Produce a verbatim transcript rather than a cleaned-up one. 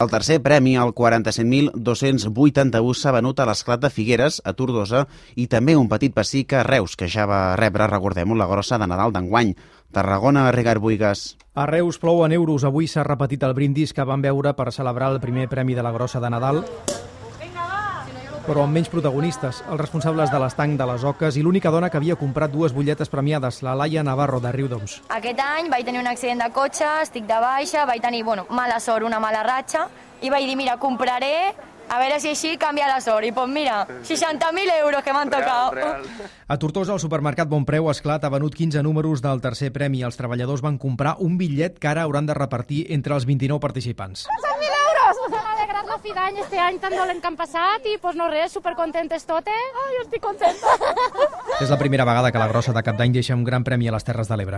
El tercer premi, el quaranta-set mil dos-cents vuitanta-u, s'ha venut a l'Esclat de Figueres, a Tortosa, i també un petit pessic a Reus, que ja va rebre, recordem-ho, la grossa de Nadal d'enguany. Tarragona, Ricard Buigas. A Reus plou en euros. Avui s'ha repetit el brindis que van veure per celebrar el primer premi de la grossa de Nadal, però amb menys protagonistes, els responsables de l'estanc de les Oques i l'única dona que havia comprat dues butlletes premiades, la Laia Navarro de Riudoms. Aquest any vaig tenir un accident de cotxe, estic de baixa, vaig tenir bueno, mala sort, una mala ratxa, i vaig dir, mira, compraré, a veure si així canvia la sort. I doncs mira, seixanta mil euros que m'han tocat. A Tortosa, el supermercat Bonpreu Esclat ha venut quinze números del tercer premi. Els treballadors van comprar un bitllet que ara hauran de repartir entre els vint-i-nou participants. cent mil euros! Ens han alegrat la fi d'any este any tan dolent que han passat i pues, no res, supercontentes totes. Ai, jo estic contenta. És la primera vegada que la grossa de Cap d'Any deixa un gran premi a les Terres de l'Ebre.